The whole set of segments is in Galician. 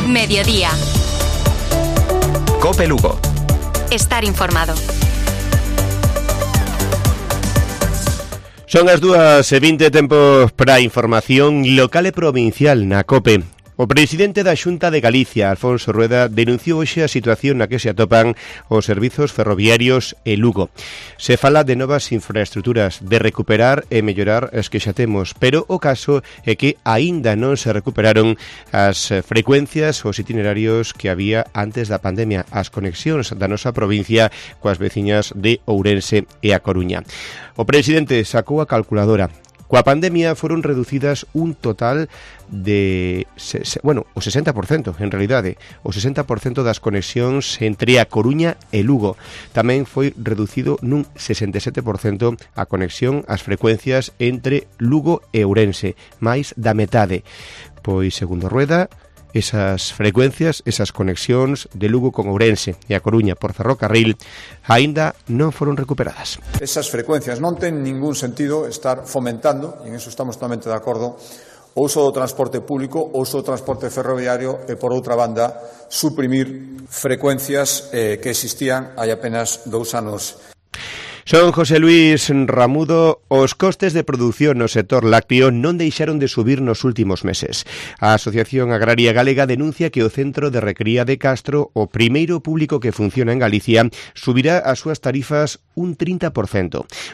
Mediodía. COPE Lugo. Estar informado. Son as 2:20, tempo para información local e provincial na COPE. O presidente da Xunta de Galicia, Alfonso Rueda, denunciou hoxe a situación na que se atopan os servizos ferroviarios e Lugo. Se fala de novas infraestruturas, de recuperar e mellorar as que xa temos, pero o caso é que aínda non se recuperaron as frecuencias, os itinerarios que había antes da pandemia, as conexións da nosa provincia coas veciñas de Ourense e A Coruña. O presidente sacou a calculadora. Coa pandemia foron reducidas un total de, o 60%, en realidade, o 60% das conexións entre A Coruña e Lugo. Tamén foi reducido nun 67% a conexión, as frecuencias entre Lugo e Ourense, máis da metade. Pois, segundo Rueda, esas frecuencias, esas conexións de Lugo con Ourense e A Coruña por ferrocarril aínda non foron recuperadas. Esas frecuencias non ten ningún sentido estar fomentando, e en eso estamos totalmente de acordo, o uso do transporte público, o uso do transporte ferroviario e, por outra banda, suprimir frecuencias que existían hai apenas 2 anos. Son José Luis Ramudo. Os costes de produción no sector lácteo non deixaron de subir nos últimos meses. A Asociación Agraria Galega denuncia que o Centro de Recría de Castro, o primeiro público que funciona en Galicia, subirá as súas tarifas un 30%.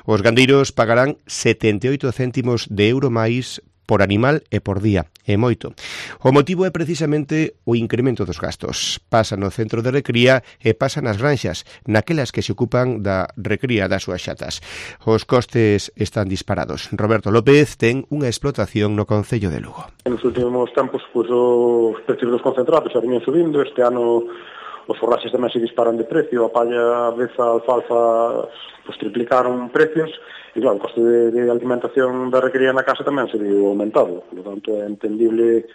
Os gandeiros pagarán 78 céntimos de euro máis por animal e por día, é moito. O motivo é precisamente o incremento dos gastos. Pasa no centro de recría e pasa nas granxas, naquelas que se ocupan da recría das súas xatas. Os costes están disparados. Roberto López ten unha explotación no concello de Lugo. Nos últimos tempos, os precios dos concentrados xa venían subindo. Este ano os forraxes tamén se disparan de precio, a palla, a beza, a alfalfa, triplicaron precios. E claro, o coste de alimentación da recría na casa tamén se viu aumentado. Por lo tanto, é entendible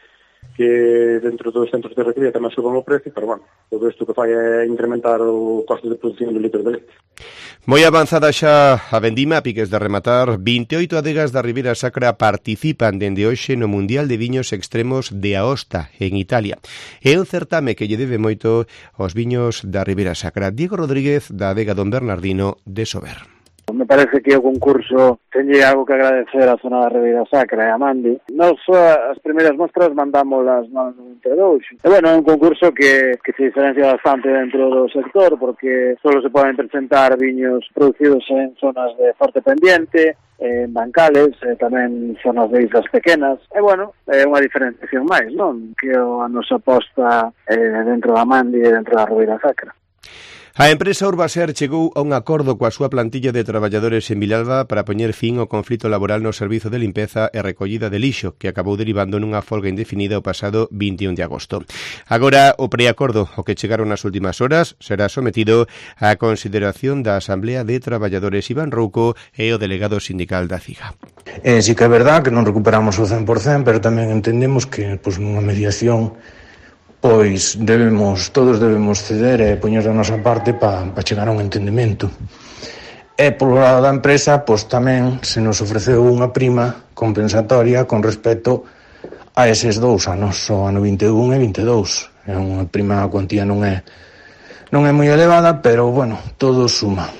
que dentro dos centros de recría tamén suban o precio, pero bueno, todo isto que fai é incrementar o coste de produción do litro de leite. Moi avanzada xa a vendima, a piques de rematar. 28 adegas da Ribeira Sacra participan dende hoxe no Mundial de Viños Extremos de Aosta, en Italia. É un certame que lle debe moito aos viños da Ribeira Sacra. Diego Rodríguez, da adega Don Bernardino de Sober. Me parece que o concurso tenlle algo que agradecer á zona da Ribeira Sacra e a Mandi. Nos as primeiras mostras mandámolas no 92. E bueno, é un concurso que se diferencia bastante dentro do sector, porque solo se poden presentar viños producidos en zonas de forte pendiente, en bancales, tamén zonas de islas pequenas. E bueno, é unha diferenciación máis, non? Que a nosa aposta dentro da Mandi e dentro da Ribeira Sacra. A empresa Urbaser chegou a un acordo coa súa plantilla de traballadores en Vilalba para poñer fin ao conflito laboral no servizo de limpeza e recollida de lixo, que acabou derivando nunha folga indefinida o pasado 21 de agosto. Agora, o preacordo ao que chegaron nas últimas horas será sometido á consideración da Asamblea de Traballadores. Iván Rouco e o delegado sindical da CIGA. Sí que é verdad que non recuperamos o 100%, pero tamén entendemos que nunha mediación todos debemos ceder e poñer da nosa parte para chegar a un entendemento. E polo lado da empresa, tamén se nos ofreceu unha prima compensatoria con respecto a eses 2 anos, o ano 21 e 22. É unha prima, a cuantía non é moi elevada, pero bueno, todo suma.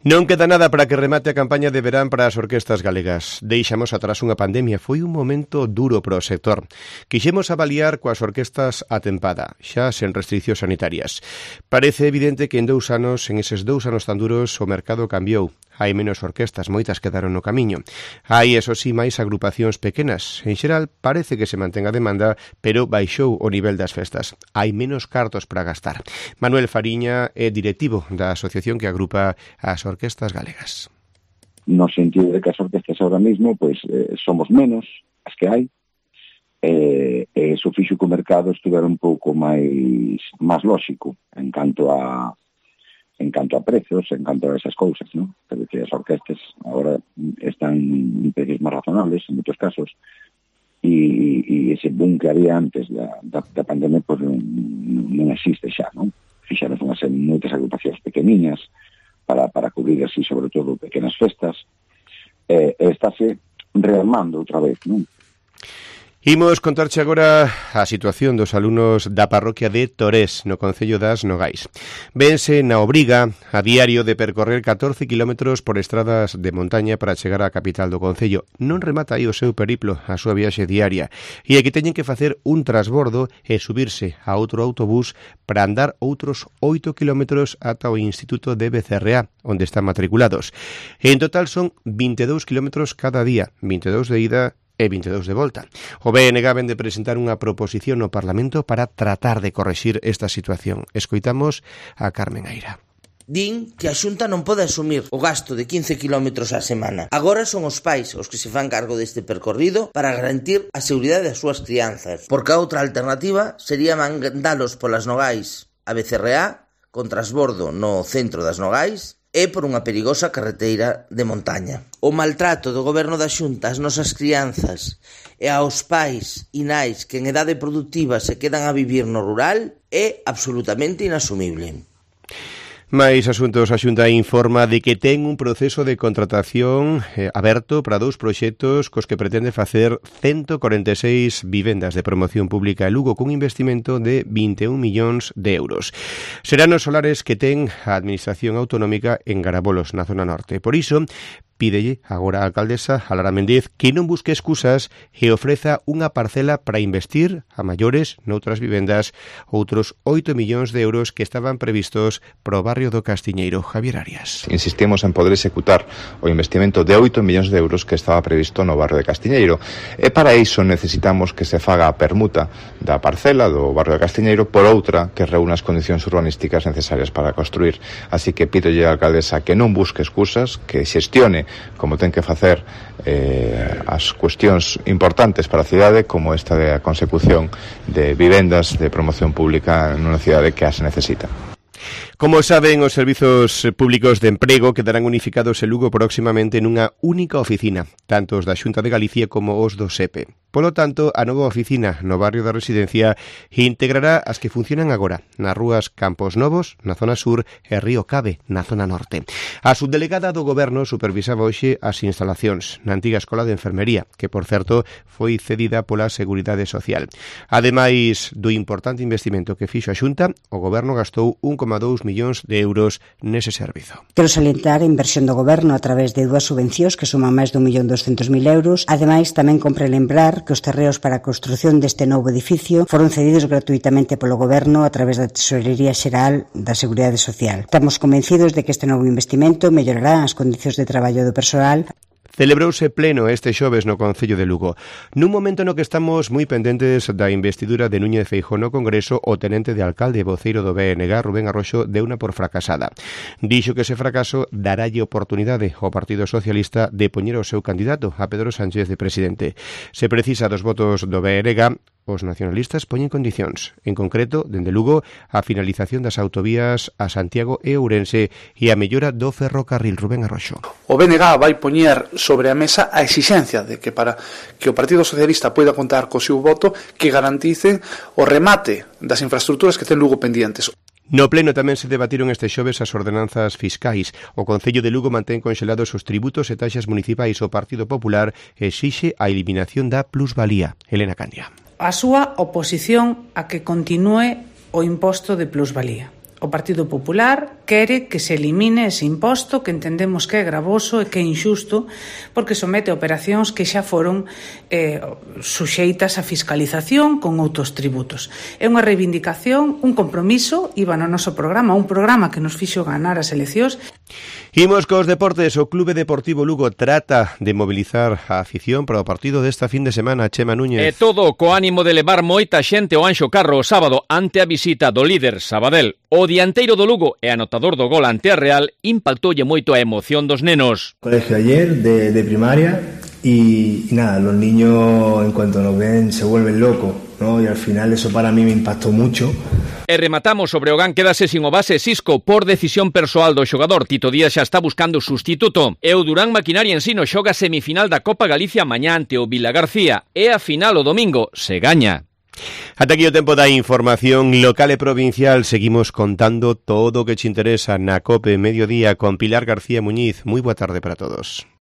Non queda nada para que remate a campaña de verán para as orquestas galegas. Deixamos atrás unha pandemia, foi un momento duro para o sector. Quixemos avaliar coas orquestas a tempada, xa sen restriccións sanitarias. Parece evidente que en eses 2 anos tan duros, o mercado cambiou. Hai menos orquestas, moitas quedaron no camiño. Hai, eso sí, máis agrupacións pequenas. En xeral, parece que se mantén a demanda, pero baixou o nivel das festas. Hai menos cartos para gastar. Manuel Fariña é directivo da asociación que agrupa as orquestas galegas. No sentido de que as orquestas ahora mismo, somos menos as que hai, e iso fixo que o mercado estuvera un pouco máis lóxico en canto a precios, en canto a esas cousas, ¿no? Pero que as orquestas agora están en precios máis razonables en moitos casos, e ese boom que había antes da pandemia non existe xa, non? Fixaron moitas agrupacións pequeniñas para cubrir así, sobre todo, pequenas festas, estáse rearmando outra vez, non? Imos contarche agora a situación dos alumnos da parroquia de Torés, no concello das Nogais. Vense na obriga a diario de percorrer 14 kilómetros por estradas de montaña para chegar á capital do concello. Non remata aí o seu periplo, a súa viaxe diaria. E aquí teñen que facer un transbordo e subirse a outro autobús para andar outros 8 kilómetros ata o Instituto de Becerreá, onde están matriculados. En total son 22 kilómetros cada día, 22 de ida e 22 de volta. O BNG ven de presentar unha proposición no Parlamento para tratar de correxir esta situación. Escoitamos a Carmen Aira. Din que a Xunta non pode asumir o gasto de 15 kilómetros á semana. Agora son os pais os que se fan cargo deste percorrido para garantir a seguridade das súas crianzas, porque a outra alternativa sería mandalos polas Nogais a Becerreá con transbordo no centro das Nogais e por unha perigosa carreteira de montaña. O maltrato do goberno da Xunta ás nosas crianzas e aos pais e nais que en idade productiva se quedan a vivir no rural é absolutamente inasumible. Mais asuntos, a Xunta informa de que ten un proceso de contratación aberto para 2 proxectos cos que pretende facer 146 vivendas de promoción pública en Lugo cun investimento de 21 millóns de euros. Serán os solares que ten a Administración Autonómica en Garabolos, na zona norte. Por iso, pídelle agora a alcaldesa, a Lara Méndez, que non busque excusas e ofreza unha parcela para investir a maiores noutras vivendas outros 8 millóns de euros que estaban previstos pro barrio do Castiñeiro. Javier Arias. Insistimos en poder executar o investimento de 8 millóns de euros que estaba previsto no barrio de Castiñeiro. E para iso necesitamos que se faga a permuta da parcela do barrio de Castiñeiro por outra que reúna as condicións urbanísticas necesarias para construir. Así que pídolle á alcaldesa que non busque excusas, que xestione como ten que facer as cuestións importantes para a cidade, como esta de a consecución de vivendas de promoción pública nunha cidade que as necesita. Como saben, os servizos públicos de emprego quedarán unificados en Lugo próximamente nunha única oficina, tanto os da Xunta de Galicia como os do SEPE. Polo tanto, a nova oficina no barrio da Residencia integrará as que funcionan agora nas rúas Campos Novos, na zona sur, e Río Cabe, na zona norte. A subdelegada do Goberno supervisaba hoxe as instalacións na antiga escola de enfermería, que, por certo, foi cedida pola Seguridade Social. Ademais do importante investimento que fixo a Xunta, o Goberno gastou 1,2 millóns de euros nese servizo. Quero salientar a inversión do Goberno a través de 2 subvencións que suman máis de 1.200.000 euros. Ademais, tamén compre lembrar que os terreos para a construción deste novo edificio foron cedidos gratuitamente polo Goberno a través da Tesorería Xeral da Seguridade Social. Estamos convencidos de que este novo investimento mellorará as condicións de traballo do persoal. Celebrouse pleno este xoves no Concello de Lugo. Nun momento no que estamos moi pendentes da investidura de Núñez Feijóo no Congreso, o tenente de alcalde e voceiro do BNG, Rubén Arroxo, deuna por fracasada. Dixo que ese fracaso daralle oportunidade ao Partido Socialista de poñer o seu candidato, a Pedro Sánchez, de presidente. Se precisa dos votos do BNG, os nacionalistas poñen condicións, en concreto, dende Lugo, a finalización das autovías a Santiago e Ourense e a mellora do ferrocarril. Rubén Arroxo. O BNG vai poñer sobre a mesa a exixencia de que para que o Partido Socialista poida contar co seu voto que garanticen o remate das infraestructuras que ten Lugo pendientes. No pleno tamén se debatiron este xoves as ordenanzas fiscais. O Concello de Lugo mantén conxelados os tributos e taxas municipais. O Partido Popular exixe a eliminación da plusvalía. Elena Candia. A súa oposición a que continúe o imposto de plusvalía. O Partido Popular quere que se elimine ese imposto que entendemos que é gravoso e que é injusto porque somete operacións que xa foron suxeitas a fiscalización con outros tributos. É unha reivindicación, un compromiso, iba no noso programa, un programa que nos fixo ganar as eleccións. Imos cos deportes. O Clube Deportivo Lugo trata de mobilizar a afición para o partido desta fin de semana. Chema Núñez. E todo co ánimo de levar moita xente ao Anxo Carro o sábado ante a visita do líder Sabadell. O dianteiro do Lugo e anotador do gol ante a Real impactoulle moito a emoción dos nenos. Colegio ayer de primaria y nada, los niños en cuanto nos ven se vuelven locos, ¿no? Y al final eso para mí me impactó mucho. E rematamos sobre o GAN, quedase sin o base Xisco por decisión persoal do xogador. Tito Díaz xa está buscando sustituto. E o Durán Maquinaria Ensino xoga semifinal da Copa Galicia mañá ante o Vila García. E a final o domingo se gaña. Ata aquí o tempo da información local e provincial. Seguimos contando todo o que te interesa na COPE Mediodía con Pilar García Muñiz. Moi boa tarde para todos.